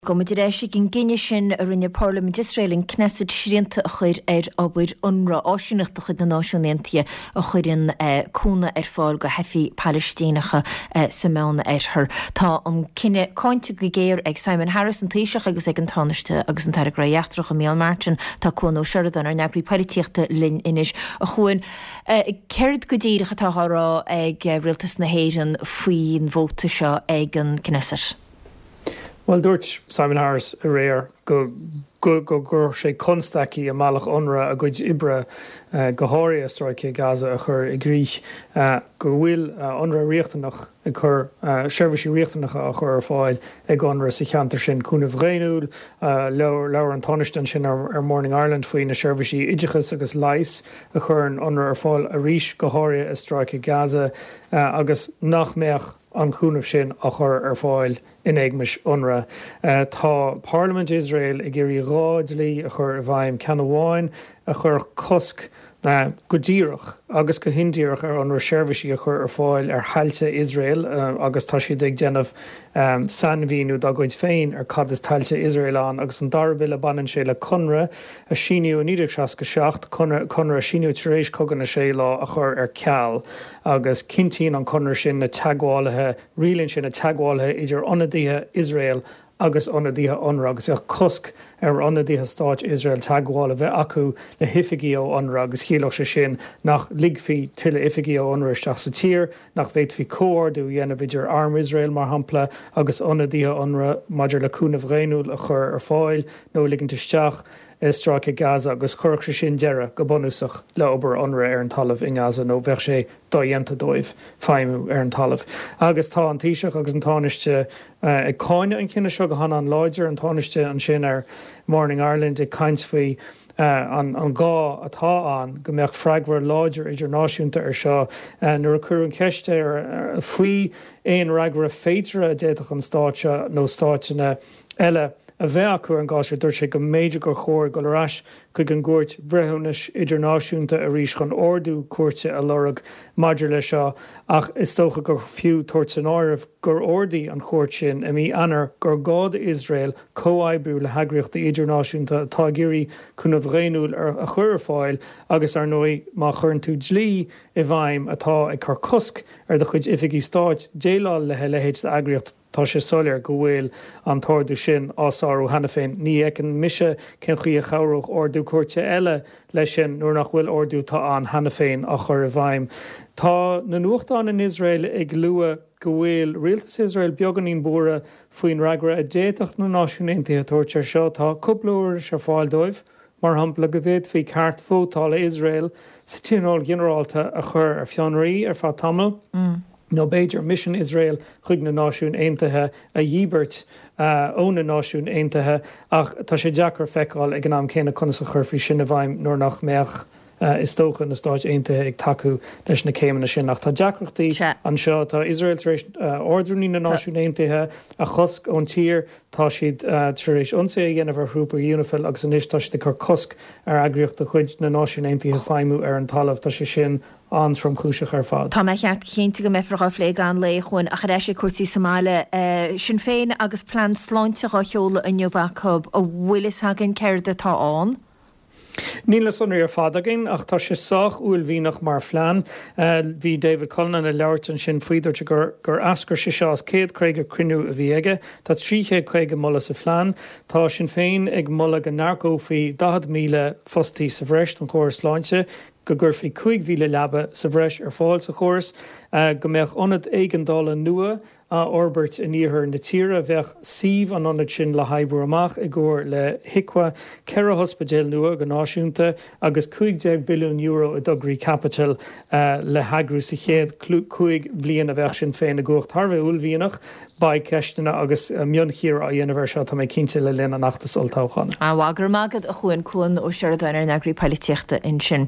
Gabhfaidh muid ar ais ag an gcinneadh sin a rinne Parlaimint Iosrael, an Knesset, srianta a chur ar obair Unrwa, áisíneacht de chuid na Náisiún Aontaithe a chuireann cúnamh ar fáil do theifigh Palaistíneacha sa Meán-Oirthear. Tá an cinneadh cáinte go géar ag Simon Harris, an Taoiseach, agus ag an Tánaiste agus an tAire Gnóthaí Eachtracha, Micheál Martin. Tá Cuan Ó Seireadáin, ár n-eagraí poilitíochta, linn anois. A Chuain, céard go díreach atá á rá ag Rialtas na hÉireann faoin vóta seo ag an Knesset? Bhuel, dúirt Simon Harris aréir go gcuirfeadh sé constaicí i mbealach Unrwa a gcuid oibre, go háirithe i stráice Gaza, a chur i gcrích, go bhfuil Unrwa riachtanach ag cur seirbhísí riachtanacha á chur ar fáil ag Unrwa sa cheantar sin, cúnamh dhaonnúil. Labhair an Tánaiste ansin ar Morning Ireland faoi na seirbhísí oideachais agus leighis a chuireann Unrwa ar fáil arís, go háirithe i stráice Gaza, agus nach mbeadh an cúnamh sin á chur ar fáil in éagmais Unrwa. Tá Parlaimint Iosrael ag iarraidh 2 dlí a chur i bhfeidhm, ceann amháin a chuirfeadh cosc go díreach agus go hindíreach ar Unrwa seirbhísí a chur ar fáil ar thailte Iosrael agus tá siad ag déanamh sainmhíniú dá gcuid féin ar cad is tailte Iosrael ann agus an dara bille baineann sé le conradh a síníodh i 1967, conradh a síníodh tar éis Cogadh na Sé Lá a chur ar ceal. agus cinntíonn an conradh sin na teagmhálaithe, rialaíonn sé na teagmhálaithe idir ionadaithe Iosrael agus ionadaithe Unrwa, agus bheadh cosc ar ionadaithe stáit Iosrael teagmháil a bheith acu le hoifigigh ó Unrwa, agus chiallódh sé sin nach ligfí tuilleadh oifigigh ó Unrwa isteach sa tír, nach bhféadfaí comhordú a dhéanamh idir arm Iosrael, mar shampla, agus ionadaithe Unrwa maidir le cúnamh dhaonnúil a chur ar fáil nó a ligint isteach. i stráice Gaza agus chuirfeadh sé sin deireadh, go bunúsach, le obair Unrwa ar an talamh i nGaza nó bheadh sé dodhéanta dóibh feidhmiú ar an talamh. Agus tá an Taoiseach agus an Tánaiste ag cáineadh an chinnidh seo go han-an-láidir, an Tánaiste ansin ar Morning Ireland ag caint faoi an gá atá ann go mbeadh freagra láidir idirnáisiúnta ar seo. Nuair a cuireadh an cheist air faoi aon fhreagra féideartha a d'fhéadfadh an stát seo nó stáiteanna eile a bheith acu ar an gcás seo. Dúirt sé go mb'fhéidir gur chóir dul ar ais chuig an gCúirt Bhreithiúnais Idirnáisiúnta arís chun ordú cúirte a lorg maidir leis seo ach is dócha gur fiú tabhairt san áireamh gur ordaigh an chúirt sin i mí Eanáir gur gá d'Iosrael comhoibriú le heagraíochtaí idirnáisiúnta atá ag iarraidh cúnamh dhaonnúil a chur ar fáil agus ar ndóigh má chuireann tú dlí i bhfeidhm atá ag cur cosc ar do chuid oifigí stáit déileáil le a leithéid d'eagraíocht Tá sé soiléir go bhfuil an t-ordú sin á sárú cheana féin. Ní fheiceann mise cén chaoi a chabhródh ordú cúirte eile leis sin nuair nach bhfuil ordú atá ann cheana féin á chur i bhfeidhm. Tá na nuachtáin in Iosrael ag lua go bhfuil rialtas Iosrael beagáinín buartha faoin fhreagra a d'fhéadfadh na Náisiúin Aontaithe a thabhairt air seo. Tá cúpla uirlis ar fáil dóibh. Mar shampla, go bhféadfaí ceart vótála Iosrael sa Tionól Ginearálta a chur ar fionraí ar feadh tamaill, nó b'fhéidir misean Iosrael chuig na Náisiúin Aontaithe a dhíbirt ó na Náisiúin Aontaithe, ach tá sé deacair feiceáil ag an am céanna conas a chuirfí sin i bhfeidhm nuair nach mbeadh, is dócha, na Stáit Aontaithe ag tacú leis na céimeanna sin. Ach tá deacrachtaí anseo. Tá Iosrael tar éis Ardrúnaí na Náisiún Aontaithe a chosc ón tír. Tá siad tar éis ionsaí a dhéanamh ar thrúpa Unifil agus anois tá siad ag cur cosc ar eagraíocht de chuid na Náisiún Aontaithe feidhmiú ar an talamh. Tá sé sin an-tromchúiseach ar fad. Tá mé ceart cinnte go mbeifear dhá phlé i gcaitheamh an lae, a Chuain, ach ar ais ag cúrsaí sa mbaile. Sinn Féin agus plean sláinte dhá sheoladh inniu acu. An bhfuil fhios againn céard atá ann? Níl na sonraí ar fad againn ach tá sé sách uaillmhianach mar phlean. Bhí David Cullinane ag labhairt ansin faoi, dúirt sé gur eascair sé seo as 150 cruinniú a bhí aige. Tá 350 moladh sa phlean. Tá Sinn Féin ag moladh go n-earcófaí 40,000 fostaí sa bhreis don chóras sláinte, go gcuirfí 5,000 leaba sa bhreis ar fáil sa chóras, go mbeadh ionad éigeandála nua á fhorbairt in iarthar na tíre. Bheadh suíomh an ionaid sin le hoibriú amach i gcomhar le HIQA, 4 hospidéal nua go náisiúnta agus €15 billiún i dtograí caipitil le heagrú sa chéad 5 bhliain a bheadh Sinn Féin i gcumhacht. Thar a bheith uaillmhianach. Beidh ceisteanna agus mionchíoradh á dhéanamh air seo, tá mé cinnte, le linn an fheachtais olltoghcháin. An-mhaith, go raibh maith agat, a Chuain. Cuan Ó Seireadáin, ár n-eagraí poilitíochta ansin.